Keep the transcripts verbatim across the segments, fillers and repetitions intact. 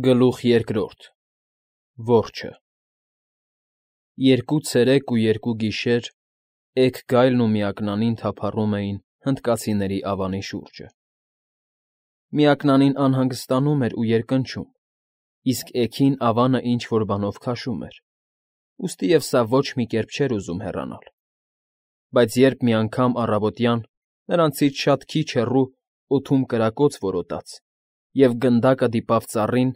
Գլուխ երկրորդ Որջը Երկու ցերեկ ու երկու գիշեր էգ գայլն ու միակնանին թափառում էին հնդկացիների ավանի շուրջը. միակնանին անհանգստանում էր ու երկնչում, իսկ էգին ավանը ինչ֊որ բանով քաշում էր, ուստիև սա ոչ մի կերպ չէր ուզում հեռանալ. բայց երբ մի անգամ առավոտյան նրանցից շատ քիչ հեռու օդում կրակոց որոտաց և գնդակը դիպավ ծառին,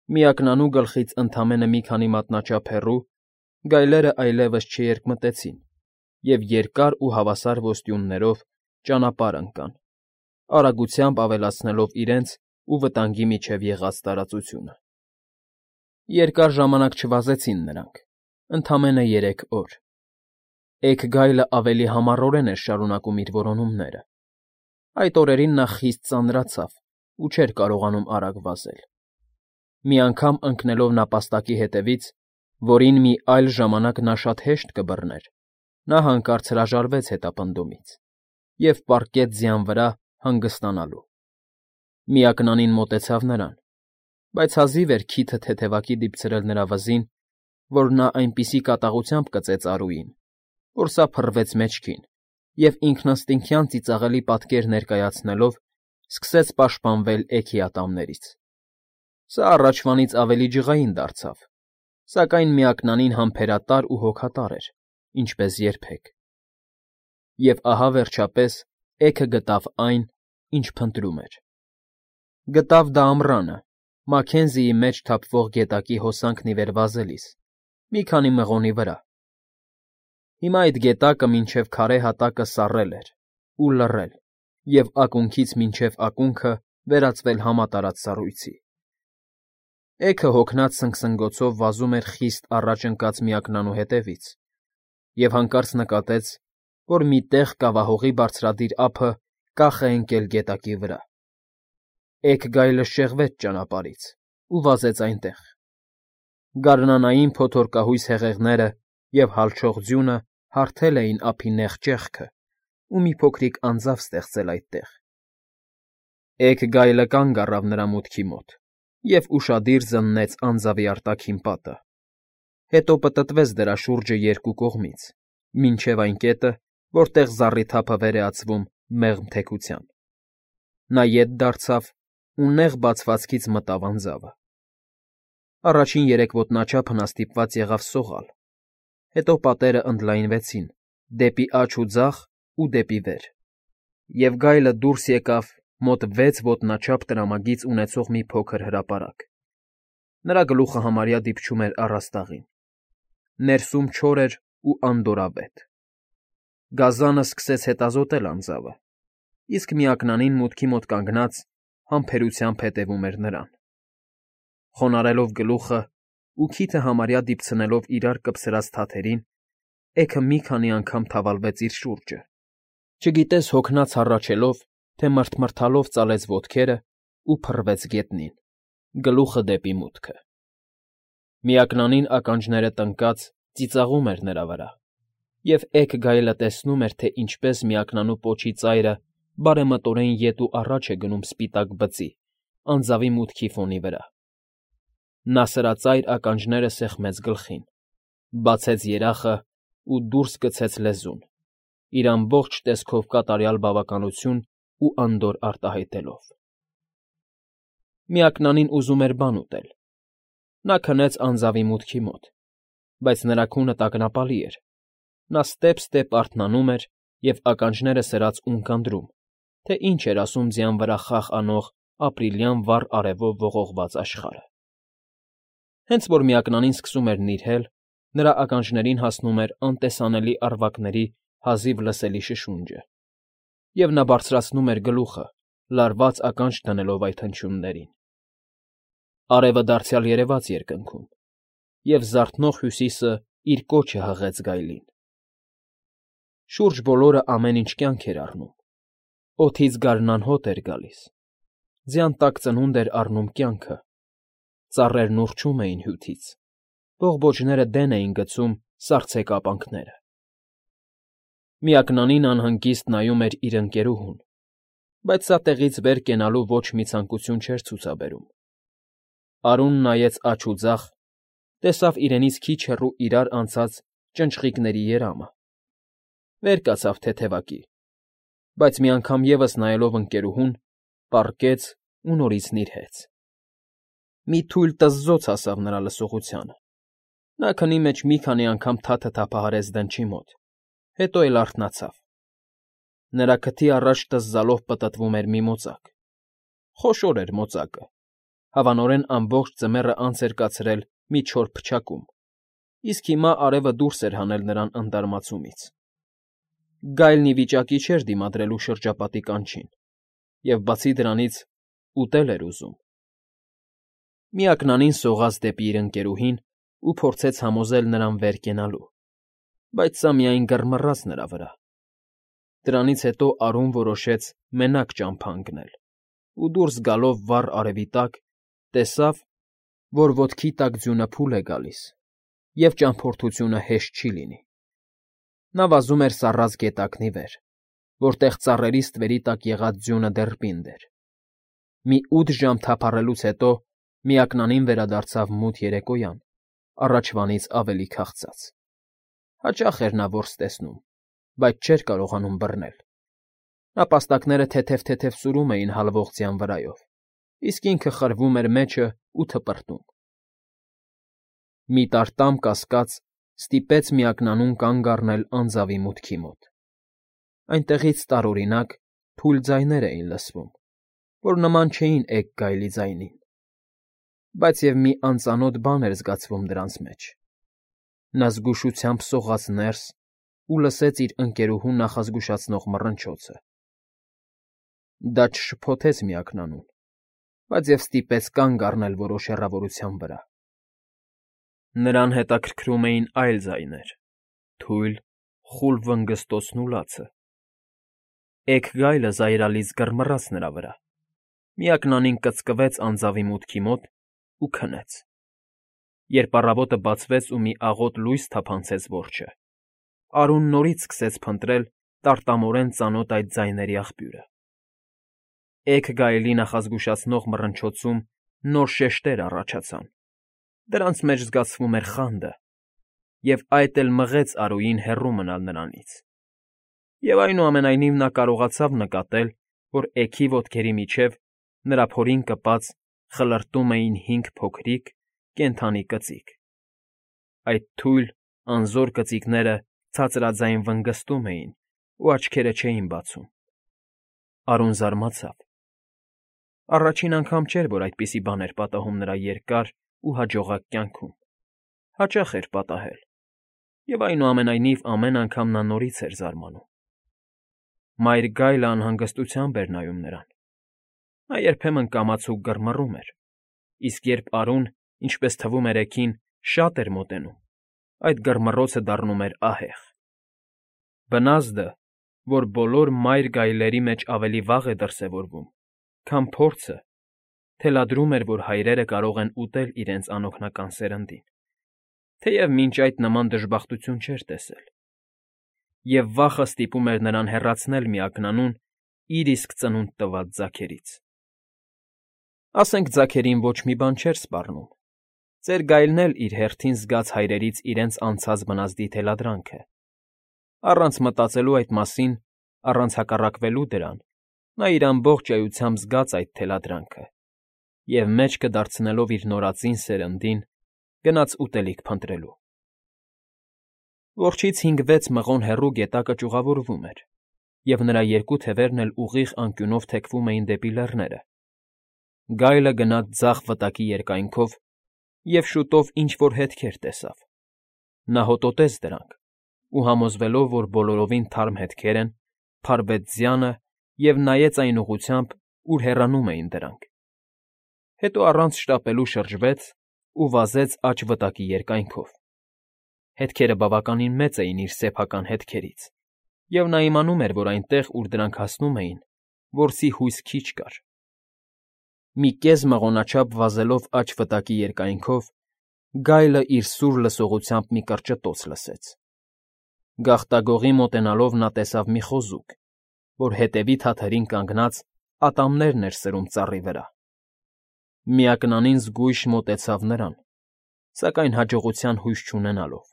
միակնանու գլխից ընդամենը մի քանի մատնաչափ հեռու, գայլերն այլևս չերկմտեցին և երկար ու հավասար ոստյուններով ճանապարհ ընկան, արագությամբ ավելացնելով իրենց ու վտանգի միջև եղած տարածությունը. Երկար ժամանակ չվազեցին նրանք, ընդամենը երեք օր. էգ գայլն ավելի համառորեն էր շարունակում իր որոնումները. այդ օրերին նա խիստ ծանրացավ ու չէր կարողանում արագ վազել. Մի անգամ ընկնելով նապաստակի ետևից, որին մի այլ ժամանակ նա շատ հեշտ կբռներ, նա հանկարծ հրաժարվեց հետապնդումից և պառկեց ձյան վրա հանգստանալու. միակնանին մոտեցավ նրան, բայց հազիվ էր քիթը թեթևակի դիպցրել նրա վզին, որ նա այնպիսի կատաղությամբ կծեց առուին, որ սա փռվեց մեջքին և ինքնըստինքյան ծիծաղելի պատկեր ներկայացնելով սկսեց պաշտպանվել էգի ատամներից. Սա առաջվանից ավելի ջղային դարձավ, սակայն միակնանին համբերատար ու հոգատար էր, ինչպես երբեք. և ահա վերջապես էգը գտավ այն, ինչ փնտրում էր. գտավ դա ամռանը, Մաքքենզիի մեջ թափվող գետակի հոսանքն ի վեր վազելիս, մի քանի մղոնի վրա. հիմա այդ գետակը մինչև քարե հատակը սառել էր ու լռել և ակունքից մինչև ակունքը վերածվել համատարած սառույցի. էգը հոգնած սնգսնգոցով վազում էր խիստ առաջ ընկած միակնանու հետևից և հանկարծ նկատեց, որ մի տեղ կավահողի բարձրադիր ափը կախ է ընկել գետակի վրա. էգ գայլը շեղվեց ճանապարհից ու վազեց այնտեղ. գարնանային փոթորկահույս հեղեղները և հալչող ձյունը հարթել էին ափի նեղ ճեղքը ու մի փոքրիկ անձավ ստեղծել այդտեղ. էգ գայլը կանգ առավ նրա մուտքի մոտ և ուշադիր զննեց անձավի արտաքին պատը, հետո պտտվեց դրա շուրջը երկու կողմից, մինչև այն կետը, որտեղ զառիթափը վեր է ածվում մեղմ թեքության. նա ետ դարձավ ու նեղ բացվածքից մտավ անձավը. առաջին երեք ոտնաչափը նա ստիպված եղավ սողալ, հետո պատերը ընդլայնվեցին դեպի աջ ու ձախ ու դեպի վեր, և գայլը դուրս եկավ մոտ վեց ոտնաչափ տրամագիծ ունեցող մի փոքր հրապարակ. նրա գլուխը համարյա դիպչում էր առաստաղին. ներսում չոր էր ու անդորրավետ. գազանը սկսեց հետազոտել անձավը, իսկ միակնանին մուտքի մոտ կանգնած համբերությամբ հետևում էր նրան. խոնարհելով գլուխը ու քիթը համարյա դիպցնելով իրար կպցրած թաթերին, էգը մի քանի անգամ թավալվեց իր շուրջը, չգիտես հոգնած հառաչելով, թե մռթմռթալով ծալեց ոտքերը ու փռվեց գետնին, գլուխը դեպի մուտքը. միակնանին ականջները տնկած ծիծաղում էր նրա վրա, և էգ գայլը տեսնում էր, թե ինչպես միակնանու պոչի ծայրը բարեմտորեն ետ ու առաջ է գնում սպիտակ բծի, անձավի մուտքի ֆոնի վրա. նա սրածայր ականջները սեղմեց գլխին, բացեց երախն ու դուրս գցեց լեզուն, իր ամբողջ տեսքով կատարյալ բավականություն ու անդորր արտահայտելով. Միակնանին ուզում էր բան ուտել. նա քնեց անձավի մուտքի մոտ, բայց նրա քունը տագնապալի էր, նա ստեպ֊ստեպ արթնանում էր և ականջները սրած ունկ ընտրում, թե ինչ էր ասում ձյան վրա խաղ անող ապրիլյան վառ արևով ողողված աշխարհը. հենց որ միակնանին սկսում էր նիրհել, նրա ականջներին հասնում էր անտեսանելի առվակների հազիվ լսելի շշունջը, և նա բարձրացնում էր գլուխը, լարված ականջ դնելով այդ հնչյուններին. արևը դարձյալ երևաց երկնքում, և զարթնող հյուսիսը իր կոչը հղեց գայլին. շուրջ բոլորը ամեն ինչ կյանք էր առնում, օդից գարնան հոտ էր գալիս, ձյան տակ ծնունդ էր առնում կյանքը, ծառերն ուռչում էին հյութից, բողբոջները դեն էին գցում սառցե կապանքները. Միակնանին անհանգիստ նայում էր իր ընկերուհուն, բայց սա տեղից վեր կենալու ոչ մի ցանկություն չէր ցուցաբերում. Արուն նայեց աջ ու ձախ, տեսավ իրենից քիչ հեռու իրար անցած ճնճղիկների երամը, վեր կացավ թեթևակի, բայց մի անգամ ևս նայելով ընկերուհուն, պառկեց ու նորից նիրհեց. մի թույլ տզզոց հասավ նրա լսողությանը, նա քնի մեջ մի քանի անգամ թաթը թափահարեց դնչի մոտ, հետո էլ արթնացավ, նրա քթի առաջ տզզալով պտտվում էր մի մոծակ, խոշոր էր մոծակը, հավանորեն ամբողջ ձմեռը անց էր կացրել մի չոր փչակում, իսկ հիմա արևը դուրս էր հանել նրան ընդարմացումից. գայլն ի վիճակի չէր դիմադրելու շրջապատի կանչին և, բացի դրանից, ուտել էր ուզում. Միակնանին սողաց դեպի իր ընկերուհին ու փորձեց համոզել նրան վեր կենալու, բայց սա միայն գռմռաց նրա վրա. դրանից հետո Արուն որոշեց մենակ ճամփա ընկնել ու դուրս գալով վառ արևի տակ, տեսավ, որ ոտքի տակ ձյունը փուլ է գալիս և ճամփորդությունը հեշտ չի լինի. նա վազում էր սառած գետակնի վեր, որտեղ ծառերի ստվերի տակ եղած ձյունը դեռ պինդ էր. մի ութ ժամ թափառելուց հետո միակնանին վերադարձավ մութ երեկոյան, առաջվանից ավելի քաղցած. հաճախ էր նա որս տեսնում, բայց չէր կարողանում բռնել. նապաստակները թեթև-թեթև սուրում էին հալվող ձյան վրայով, իսկ ինքը խրվում էր մեջը ու թպրտում. մի տարտամ կասկած ստիպեց միակնանուն կանգ առնել անձավի մուտքի մոտ. այնտեղից տարօրինակ, թույլ ձայներ էին լսվում, որ նման չէին էգ գայլի ձայնին, բայց և մի անծանոթ բան էր զգացվում դրանց մեջ. նա զգուշությամբ սողաց ներս ու լսեց իր ընկերուհու նախազգուշացնող մռնչոցը. դա չշփոթեց միակնանուն, բայց և ստիպեց կանգ առնել որոշ հեռավորության վրա. նրան հետաքրքրում էին այլ ձայներ, թույլ, խուլ վնգստոցն ու լացը. էգ գայլը զայրալից գռմռաց նրա վրա, միակնանին կծկվեց անձավի մուտքի մոտ ու քնեց. երբ առավոտը բացվեց ու մի աղոտ լույս թափանցեց որջը, Արուն նորից սկսեց փնտրել տարտամորեն ծանոթ այդ ձայների աղբյուրը. էգ գայլի նախազգուշացնող մռնչոցում նոր շեշտեր առաջացան, դրանց մեջ զգացվում էր խանդը, և այդ էլ մղեց Արուին հեռու մնալ նրանից. և այնուամենայնիվ նա կարողացավ նկատել, որ էգի ոտքերի միջև, նրա փորին կպած, խլրտում էին հինգ փոքրիկ, կենդանի կծիկ. այդ թույլ, անզոր կծիկները ցածրաձայն վնգստում էին ու աչքերը չէին բացում. Արուն զարմացավ. առաջին անգամ չէր, որ այդպիսի բան էր պատահում նրա երկար ու հաջողակ կյանքում, հաճախ էր պատահել, և այնուամենայնիվ ամեն անգամ նա նորից էր զարմանում. մայր գայլը անհանգստությամբ էր նայում նրան. նա երբեմն կամացուկ գռմռում էր, իսկ երբ Արուն, ինչպես թվում էր էգին, շատ էր մոտենում, այդ գռմռոցը դառնում էր ահեղ. բնազդը, որ բոլոր մայր գայլերի մեջ ավելի վաղ է դրսևորվում, քան փորձը, թելադրում էր, որ հայրերը կարող են ուտել իրենց անօգնական սերնդին, թեև մինչ այդ նման դժբախտություն չէր տեսել. և վախը ստիպում էր նրան հեռացնել միակնանուն իր իսկ ծնունդ տված ձագերից. ասենք ձագերին ոչ մի բան չէր սպառնում, ծեր գայլն էլ իր հերթին զգաց հայրերից իրենց անցած բնազդի թելադրանքը, առանց մտածելու այդ մասին, առանց հակառակվելու դրան, նա իր ամբողջ էությամբ զգաց այդ թելադրանքը և մեջքը դարձնելով իր նորածին սերնդին, գնաց ուտելիք փնտրելու. Որջից հինգ֊վեց մղոն հեռու գետակը ճյուղավորվում էր, և նրա երկու թևերն էլ ուղիղ անկյունով թեքվում էին դեպի լեռները. գայլը գնաց ձախ վտակի երկայնքով և շուտով ինչ֊որ հետքեր տեսավ. նա հոտոտեց դրանք ու, համոզվելով, որ բոլորովին թարմ հետքեր են, փարվեց ձյանը և նայեց այն ուղղությամբ, ուր հեռանում էին դրանք, հետո առանց շտապելու շրջվեց ու վազեց աջ վտակի երկայնքով. հետքերը բավականին մեծ էին իր սեփական հետքերից, և նա իմանում էր, որ այնտեղ, ուր դրանք հասնում էին, որսի հույս քիչ կար. մի կես մղոնաչափ վազելով աջ վտակի երկայնքով, գայլը իր սուր լսողությամբ մի կրճտոց լսեց. գաղտագողի մոտենալով նա տեսավ մի խոզուկ, որ հետևի թաթերին կանգնած ատամներն էր սրում ծառի վրա. Միակնանին զգույշ մոտեցավ նրան, սակայն հաջողության հույս չունենալով.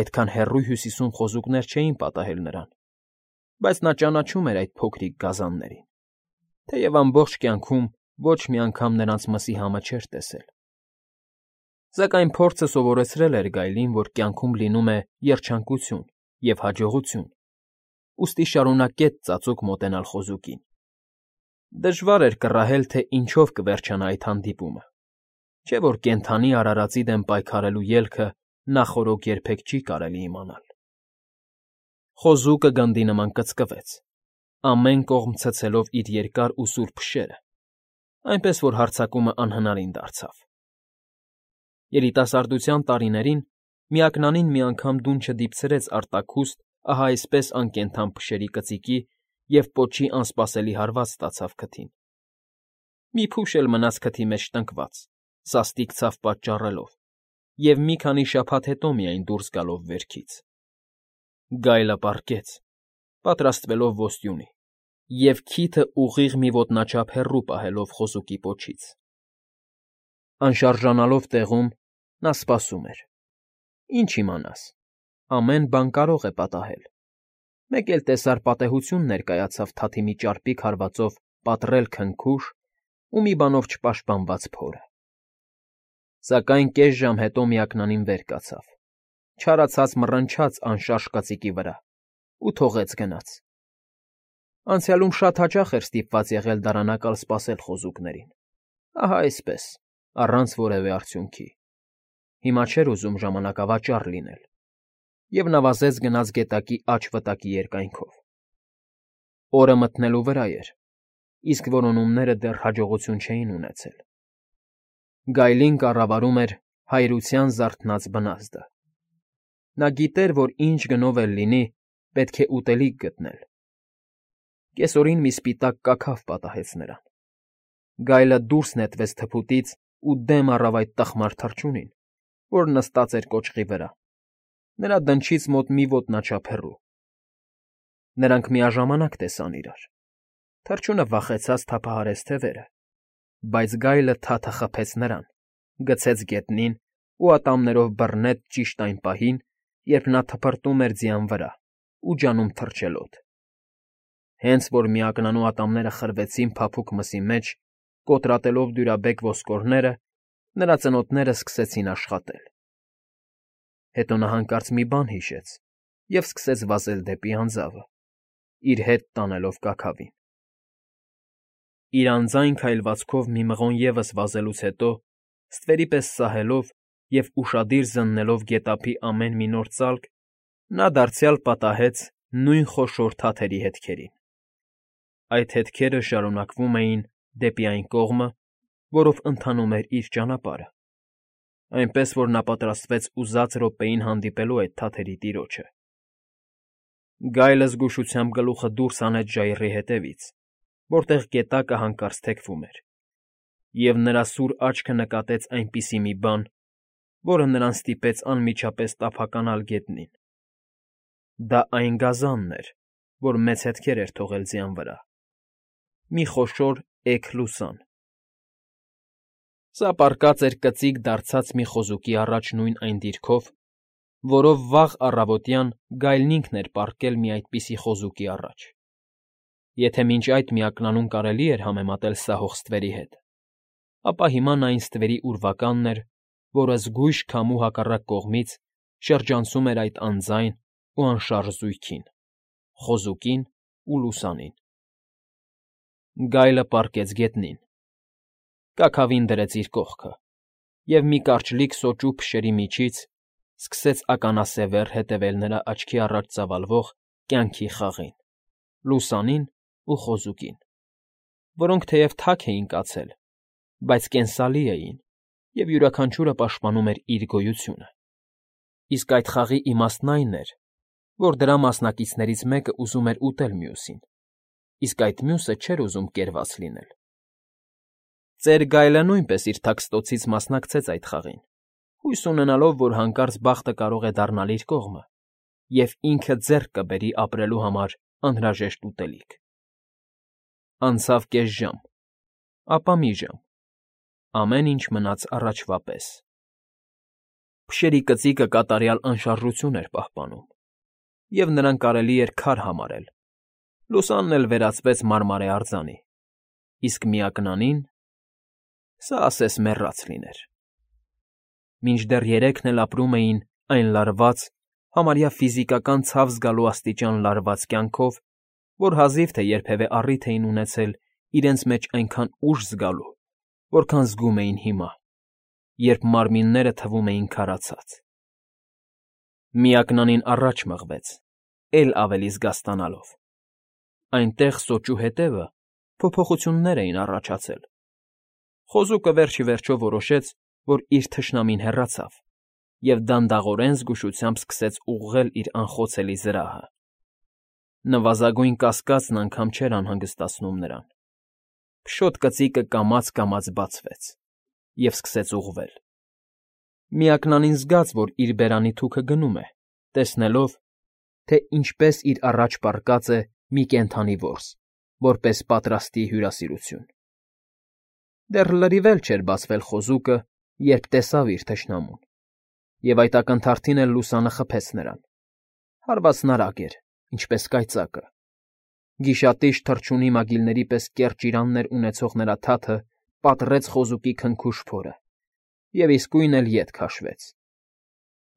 այդքան հեռու Հյուսիսում խոզուկներ չէին պատահել նրան, բայց նա ճանաչում էր այդ փոքրիկ գազաններին, թեև ամբողջ կյանքում ոչ մի անգամ նրանց մսի համը չէր տեսել։ Սակայն փորձը սովորեցրել էր գայլին, որ կյանքում լինում է երջանկություն և հաջողություն, ուստի շարունակեց ծածուկ մոտենալ խոզուկին։ Դժվար էր կռահել, թե ինչով կվերջանա այդ հանդիպումը, չէ՞ որ կենդանի արարածի դեմ պայքարելու ելքը նախօրոք երբեք չի կարելի իմանալ։ Խոզուկը գնդի նման կծկվեց, ամեն կողմ ցցելով իր երկար ու սուր փշերը, այնպես որ հարձակումը անհնարին դարձավ։ Երիտասարդության տարիներին միակնանին մի անգամ դուն չդիպցրեց արտաքուստ ահա այսպես անկենդան փշերի կծիկի և պոչի անսպասելի հարված ստացավ քթին։ Մի փուշ էլ մնաց քթի մեջ տնկված, սաստիկ ցավ պատճառելով, և մի քանի շաբաթ հետո միայն դուրս գալով վերքից։ Գայլը պառկեց, պատրաստվելով ոստյունի, և քիթը ուղիղ մի ոտնաչափ հեռու պահելով խոզուկի պոչից։ Անշարժանալով տեղում՝ նա սպասում էր։ Ինչ իմանաս, ամեն բան կարող է պատահել։ Մեկ էլ տեսար պատեհություն ներկայացավ թաթի մի ճարպիկ հարվածով պատռել քնքուշ ու մի բանով չպաշտպանված փորը։ Սակայն կես ժամ հետո միակնանին վեր կացավ, չարացած մռնչաց անշարժ կծիկի վրա ու թողեց գնաց։ Անցյալում շատ հաճախ էր ստիպված եղել դարանակալ սպասել խոզուկներին, ահա այսպես, առանց որևէ արդյունքի։ Հիմա չէր ուզում ժամանակավաճառ լինել և նվազեց գնաց գետակի աջ վտակի երկայնքով։ Օրը մթնելու վրա էր, իսկ որոնումները դեռ հաջողություն չէին ունեցել։ Գայլին կառավարում էր հայրության զարթնած բնազդը։ Նա գիտեր, որ ինչ գնով էլ լինի, պետք է ուտելիք գտնել։ Կեսօրին մի սպիտակ կաքավ պատահեց նրան։ Գայլը դուրս նետվեց թփուտից ու դեմ առավ այդ տխմար թռչունին, որ նստած էր կոճղի վրա, նրա դնչից մոտ մի ոտնաչափ հեռու։ Նրանք միաժամանակ տեսան իրար։ Թռչունը վախեցած թափահարեց թևերը, բայց գայլը թաթը խփեց նրան, գցեց գետնին ու ատամներով բռնեց ճիշտ այն պահին, երբ նա թփրտում էր ձյան վրա ու ջանում թռչելոտ։ Հենց որ միակնանու ատամները խրվեցին փափուկ մսի մեջ, կոտրատելով դյուրաբեկ ոսկորները, նրա ծնոտները սկսեցին աշխատել։ Հետո նա հանկարծ մի բան հիշեց և սկսեց վազել դեպի անձավը, իր հետ տանելով կաքավին։ Իր անձայն քայլվածքով մի մղոն ևս վազելուց հետո, ստվերի պես սահելով և ուշադիր զննելով գետափի ամեն մի նոր ծալք, նա դարձյալ պատահեց նույն խոշոր թաթերի հետքերին։ Այդ հետքերը շարունակվում էին դեպի այն կողմը, որով ընթանում էր իր ճանապարհը, այնպես որ նա պատրաստվեց ուզած րոպեին հանդիպելու այդ թաթերի տիրոջը։ Գայլը զգուշությամբ գլուխը դուրս հանեց ժայռի ետևից, որտեղ գետակը հանկարծ թեքվում էր, և նրա սուր աչքը նկատեց այնպիսի մի բան, որը նրան ստիպեց անմիջապես տափականալ գետնին։ Դա այն գազանն էր, որ մեծ հետքեր էր թողել ձյան վրա, մի խոշոր էգ լուսան։ Սա պառկած էր կծիկ դարձած մի խոզուկի առաջ նույն այն դիրքով, որով վաղ առավոտյան գայլն ինքն էր պառկել մի այդպիսի խոզուկի առաջ։ Եթե մինչ այդ միակնանում կարելի էր համեմատել սահող ստվերի հետ, ապա հիմա նա այն ստվերի ուրվականն էր, որը զգույշ քամու հակառակ կողմից շրջանցում էր այդ անձայն ու անշարժ զույգին՝ խոզուկին ու լուսանին։ Գայլը պառկեց գետնին, կաքավին դրեց իր կողքը և մի կարճլիկ սոճու փշերի միջից սկսեց ականասևեռ հետևել նրա աչքի առաջ ծավալվող կյանքի խաղին՝ լուսանին ու խոզուկին, որոնք թեև թաք էին կացել, բայց կենսալի էին և յուրաքանչյուրը պաշտպանում էր իր գոյությունը։ Իսկ այդ խաղի իմաստն այն էր, որ դրա մասնակիցներից մեկը ուզում էր ուտել մյուսին, իսկ այդ մյուսը չէր ուզում կերված լինել։ Ծեր գայլը նույնպես իր թաքստոցից մասնակցեց այդ խաղին, հույս ունենալով, որ հանկարծ բախտը կարող է դառնալ իր կողմը, և ինքը ձեռք կբերի ապրելու համար անհրաժեշտ ուտելիք։ Անցավ կես ժամ, ապա մի ժամ, ամեն ինչ մնաց առաջվա պես։ Փշերի կծիկը կատարյալ անշարժություն էր պահպանում, և նրան կարելի էր քար համարել, լուսանն էլ վերածվեց մարմարե արձանի, իսկ միակնանին… Սա ասես մեռած լիներ։ Մինչդեռ երեքն էլ ապրում էին այն լարված, համարյա ֆիզիկական ցավ զգալու աստիճան լարված կյանքով, որ հազիվ թե երբևէ առիթ էին ունեցել իրենց մեջ այնքան ուժ զգալու, որքան զգում էին հիմա, երբ մարմինները թվում էին քարացած։ Միակնանին առաջ մղվեց, էլ ավելի զգաստանալով։ Այնտեղ սոճու հետևը փոփոխություններ էին առաջացել։ Խոզուկը վերջ ի վերջո որոշեց, որ իր թշնամին հեռացավ, և դանդաղորեն զգուշությամբ սկսեց ուղղել իր անխոցելի զրահը։ Նվազագույն կասկածն անգամ չէր անհանգստացնում նրան։ Փշոտ կծիկը կամաց֊կամաց բացվեց և սկսեց ուղղվել։ Միակնանին զգաց, որ իր բերանի թուքը գնում է, տեսնելով, թե ինչպես իր առաջ պառկած է մի կենդանի որս, որպես պատրաստի հյուրասիրություն։ Դեռ լրիվ էլ չէր բացվել խոզուկը, երբ տեսավ իր թշնամուն, և այդ ակնթարթին էլ լուսանը խփեց նրան։ Հարվածն արագ էր, ինչպես կայծակը։ Գիշատիչ թռչունի մագիլների պես կեռ ճիրաններ ունեցող նրա թաթը պատռեց խոզուկի քնքուշ փորը և իսկույն էլ ետ քաշվեց։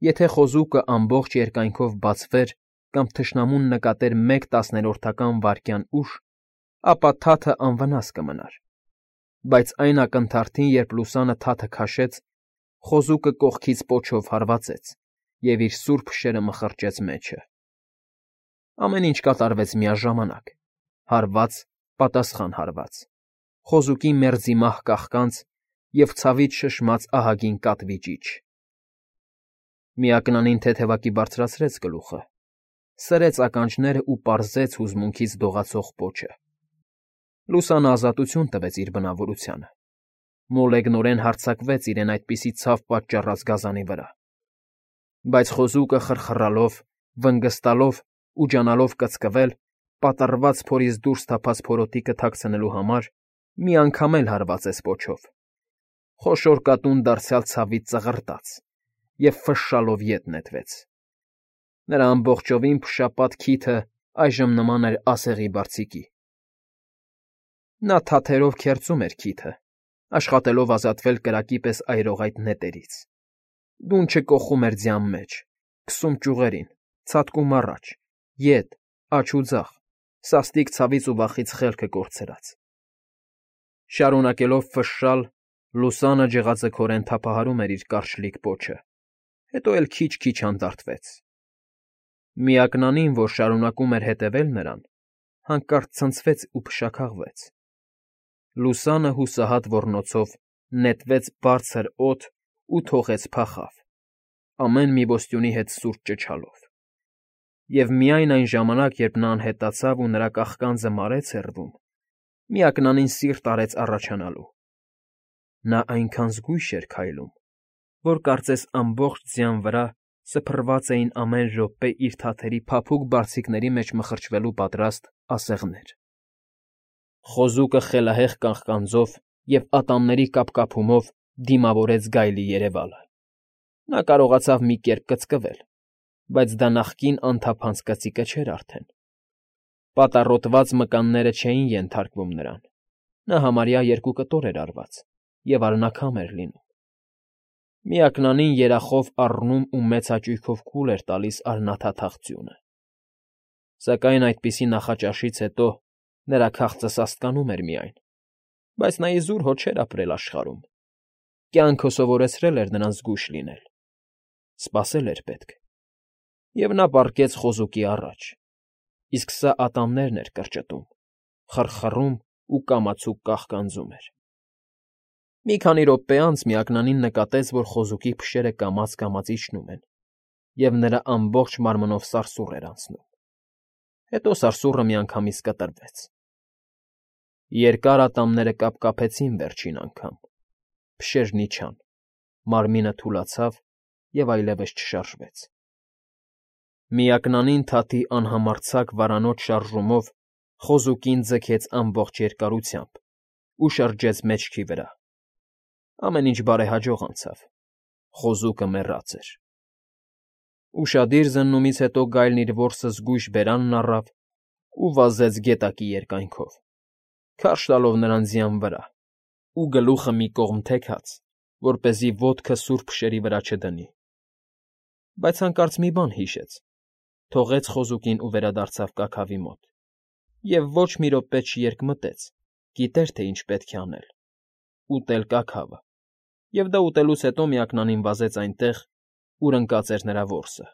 Եթե խոզուկը ամբողջ երկայնքով բացվեր կամ թշնամուն նկատեր մեկ տասներորդական վայրկյան ուշ, ապա թաթը անվնաս կմնար, բայց այն ակնթարթին, երբ լուսանը թաթը քաշեց, խոզուկը կողքից պոչով հարվածեց և իր սուր փշերը մխրճեց մեջը։ Ամեն ինչ կատարվեց միաժամանակ՝ հարված, պատասխան հարված, խոզուկի մերձի մահ կաղկանց և ցավից շշմած ահագին կատվի ճիչ։ Միակնանին թեթևակի բարձրացրեց գլուխը, սրեց ականջներն ու պարզեց հուզմունքից դողացող պոչը։ Լուսանը ազատություն տվեց իր բնավորությանը, մոլեգնորեն հարձակվեց իրեն այդպիսի ցավ պատճառած գազանի վրա։ Բայց խոզուկը խռխռալով, վնգստալով ու ջանալով կծկվել, պատռված փորից դուրս թափած փորոտիքը թաքցնելու համար, մի անգամ էլ հարվածեց պոչով։ Խոշոր կատուն դարձյալ ցավից ծղրտաց և ֆշշալով ետ նետվեց։ Նրա ամբողջովին փշապատ քիթը այժմ նման էր ասեղի բարձիկի։ Նա թաթերով քերծում էր քիթը, աշխատելով ազատվել կրակի պես այրող այդ նետերից։ Դունչը կոխում էր ձյան մեջ, քսում ճյուղերին, ցատկում առաջ, ետ, աջ ու ձախ, սաստիկ ցավից ու վախից խելքը կորցրած։ Շարունակելով ֆշշալ, լուսանը ջղաձգորեն թափահարում էր իր կարճլիկ պոչը, հետո էլ քիչ֊քիչ հանդարտվեց։ Միակնանին, որ շարունակում էր հետևել նրան, հանկարծ ցնցվեց ու փշաքաղվեց։ Լուսանը հուսահատ ոռնոցով նետվեց բարձր օդ ու թողեց փախավ, ամեն մի ոստյունի հետ սուր ճչալով։ Եվ միայն այն ժամանակ, երբ նա անհետացավ ու նրա կաղկանձը մարեց հեռվում, միակնանին սիրտ արեց առաջանալու։ Նա այնքան զգույշ էր քայլում, որ կարծես ամբողջ ձյան վրա սփռված էին ամեն րոպե իր թաթերի փափուկ բարձիկների մեջ մխրճվելու պատրաստ ասեղներ։ Խոզուկը խելահեղ կաղկանձով և ատամների կապկապումով դիմավորեց գայլի երևալը։ Նա կարողացավ մի կերպ կծկվել, բայց դա նախկին անթափանց կծիկը չէր արդեն։ Պատառոտված մկանները չէին ենթարկվում նրան։ Նա համարյա երկու կտոր էր արված և արնաքամ էր լինում։ Միակնանին երախով առնում ու մեծ հաճույքով կուլ էր տալիս արնաթաթախ ձյունը։ Սակայն այդպիսի նախաճաշից հետո նրա քաղցը սաստկանում էր միայն, բայց նա իզուր հո չէր ապրել աշխարհում։ Կյանքը սովորեցրել էր նրան զգույշ լինել։ Սպասել էր պետք։ Եվ նա պառկեց խոզուկի առաջ, իսկ սա ատամներն էր կրճտում, խռխռում ու կամացուկ կաղկանձում էր։ Մի քանի րոպե անց միակնանին նկատեց, որ խոզուկի փշերը կամաց֊կամաց իջնում են, և նրա ամբողջ մարմնով սարսուռ էր անցնում։ Հետո սարսուռը միանգամից կտրվեց։ Երկար ատամները կապկապեցին վերջին անգամ, փշերն իջան, մարմինը թուլացավ և այլևս չշարժվեց։ Միակնանին թաթի անհամարձակ վարանոտ շարժումով խոզուկին ձգեց ամբողջ երկարությամբ ու շրջեց մեջքի վրա։ Ամեն ինչ բարեհաջող անցավ, խոզուկը մեռած էր։ Ուշադիր զննումից հետո գայլն իր որսը զգույշ բերանն առավ ու վազեց գետակի երկայնքով, քարշ տալով նրան ձյան վրա ու գլուխը մի կողմ թեքած, որպեսզի ոտքը սուր փշերի վրա չդնի։ Բայց հանկարծ մի բան հիշեց, թողեց խոզուկին ու վերադարձավ կաքավի մոտ, և ոչ մի րոպե չերկմտեց, գիտեր, թե ինչ պետք է անել՝ ուտել կաքավը, և դա ուտելուց հետո միակնանին վազեց այնտեղ, ուր ընկած էր նրա որսը։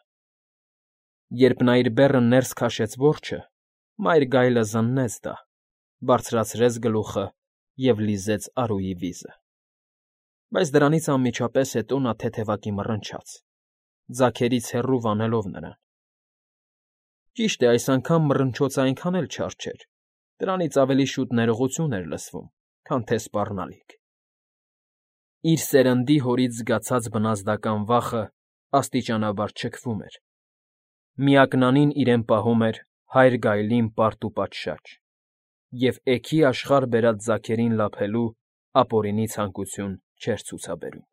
Երբ նա իր բեռը ներս քաշեց որջը, մայր գայլը զննեց դա, բարձրացրեց գլուխը և լիզեց արուի վիզը։ Բայց դրանից անմիջապես հետո նա թեթևակի մռնչաց, ձագերից հեռու վանելով նրան։ Ճիշտ է, այս անգամ մռնչոցն այնքան էլ չար չէր, դրանից ավելի շուտ ներողություն էր լսվում, քան թե սպառնալիք։ Իր սերնդի հորից զգացած բնազդական վախը աստիճանաբար չքվում էր։ Միակնանին իրեն պահում էր Հայր Գայլին պարտ ու պատշաճ, և էգի աշխարհ բերած ձագերին լափելու ապօրինի ցանկություն չէր ցուցաբերում։